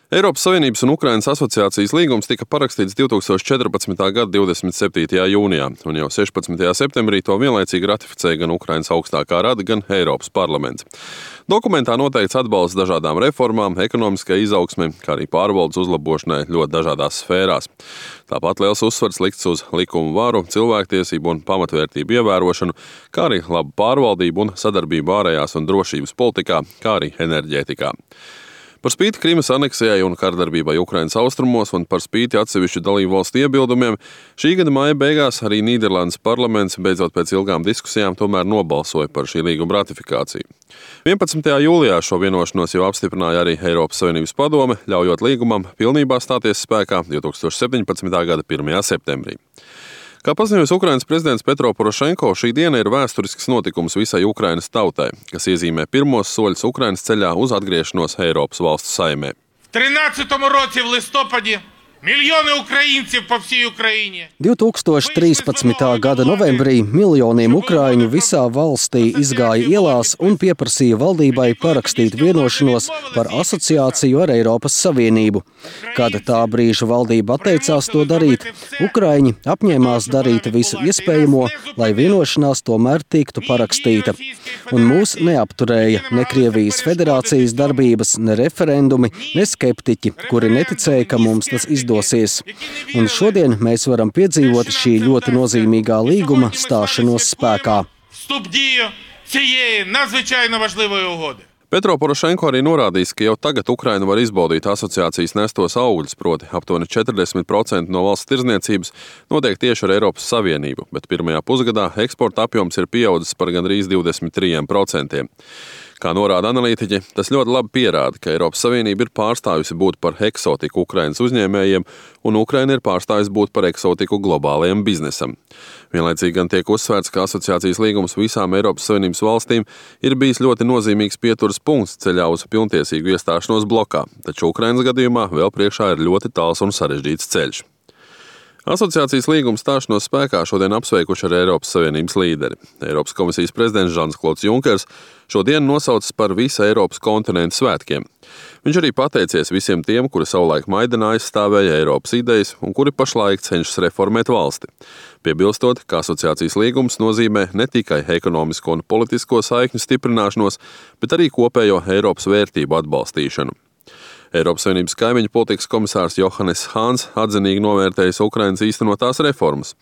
Eiropas Savienības un Ukrainas asociācijas līgums tika parakstīts 2014. gada 27. jūnijā, un jau 16. septembrī to vienlaicīgi ratificēja gan Ukrainas augstākā rada, gan Eiropas parlaments. Dokumentā noteikts atbalsts dažādām reformām, ekonomiskai izaugsmei, kā arī pārvaldes uzlabošanai ļoti dažādās sfērās. Tāpat liels uzsvars likts uz likumu varu, cilvēktiesību un pamatvērtību ievērošanu, kā arī labu pārvaldību un sadarbību ārējās un drošības politikā, kā arī enerģētikā. Par spīti Krimas aneksijai un kardarbībai Ukrainas austrumos un par spīti atsevišķu dalību valstu iebildumiem, šī gada maija beigās arī Nīderlandes parlaments beidzot pēc ilgām diskusijām tomēr nobalsoja par šī līguma ratifikāciju. 11. jūlijā šo vienošanos jau apstiprināja arī Eiropas Savienības padome, ļaujot līgumam pilnībā stāties spēkā 2017. gada 1. septembrī. Kā paziņoja Ukrainas prezidents Petro Porošenko, šī diena ir vēsturisks notikums visai Ukrainas tautai, kas iezīmē pirmos soļus Ukrainas ceļā uz atgriešanos Eiropas valstu saimē. В 13-му році в листопаді мільйони українців по всій Україні. 2013. gada novembrī miljoniem ukraiņu visā valstī izgāja ielās un pieprasīja valdībai parakstīt vienošanos par asociāciju ar Eiropas Savienību. Kad tā brīža valdība atteicās to darīt, ukraiņi apņēmās darīt visu iespējamo, lai vienošanās tomēr tiktu parakstīta. Un mūs neapturēja ne Krievijas federācijas darbības, ne referendumi, ne skeptiķi, kuri neticēja, ka mums tas izdosies. Un šodien mēs varam piedzīvot šī ļoti nozīmīgā līguma stāšanos spēkā. Вступ дію цієї надзвичайно важливої угоди. Petro Porošenko arī norādījis, ka jau tagad Ukraina var izbaudīt asociācijas nestos augļus, proti aptuveni 40% no valsts tirdzniecības notiek tieši ar Eiropas Savienību, bet pirmajā pusgadā eksporta apjoms ir pieaudzis par gandrīz 23%. Kā norāda analītiķi, tas ļoti labi pierāda, ka Eiropas Savienība ir pārstājusi būt par eksotiku Ukrainas uzņēmējiem, un Ukraina ir pārstājusi būt par eksotiku globālajiem biznesam. Vienlaicīgi gan tiek uzsvērts, ka asociācijas līgums visām Eiropas Savienības valstīm ir bijis ļoti nozīmīgs pieturas punkts ceļā uz pilntiesīgu iestāšanos blokā, taču Ukrainas gadījumā vēl priekšā ir ļoti tāls un sarežģīts ceļš. Asociācijas līguma stāšanos spēkā šodien apsveikuši ar Eiropas Savienības līderi. Eiropas komisijas prezidents Žans-Klods Junkers šodien nosaucis par visu Eiropas kontinentu svētkiem. Viņš arī pateicies visiem tiem, kuri savulaik Maidanā aizstāvēja Eiropas idejas un kuri pašlaik cenšas reformēt valsti. Piebilstot, ka asociācijas līgums nozīmē ne tikai ekonomisko un politisko saikņu stiprināšanos, bet arī kopējo Eiropas vērtību atbalstīšanu. Eiropas Savienības kaimiņu politikas komisārs Johannes Hāns atzinīgi novērtējis Ukrainas īstenotās reformas,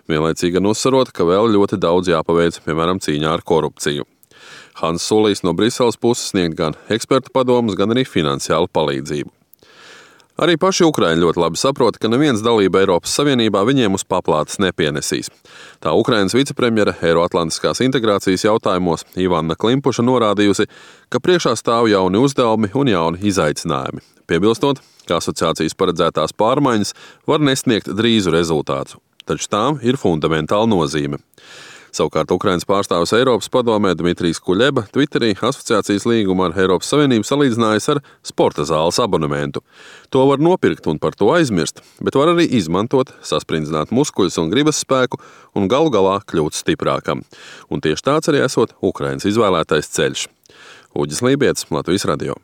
vienlaicīgi gan uzsverot, ka vēl ļoti daudz jāpaveic, piemēram, cīņā ar korupciju. Hāns solīs no Briseles puses sniegt gan ekspertu padomus, gan arī finansiālu palīdzību. Arī paši ukraiņi ļoti labi saprot, ka neviens dalība Eiropas Savienībā viņiem uz paplātes nepienesīs. Tā Ukrainas vicepremjera Eiroatlantiskās integrācijas jautājumos Ivana Klimpuša norādījusi, ka priekšā stāv jauni uzdevumi un jauni izaicinājumi. Piebilstot, ka asociācijas paredzētās pārmaiņas var nesniegt drīzu rezultātu, taču tām ir fundamentāla nozīme. Savukārt Ukrainas pārstāvis Eiropas padomē Dmitrijs Kuļeba Twitterī asociācijas līgumu ar Eiropas Savienību salīdzinājis ar sporta zāles abonementu. To var nopirkt un par to aizmirst, bet var arī izmantot, sasprindzināt muskuļus un gribas spēku un galu galā kļūt stiprākam. Un tieši tāds arī esot Ukrainas izvēlētais ceļš. Uģis Lībietis, Latvijas radio.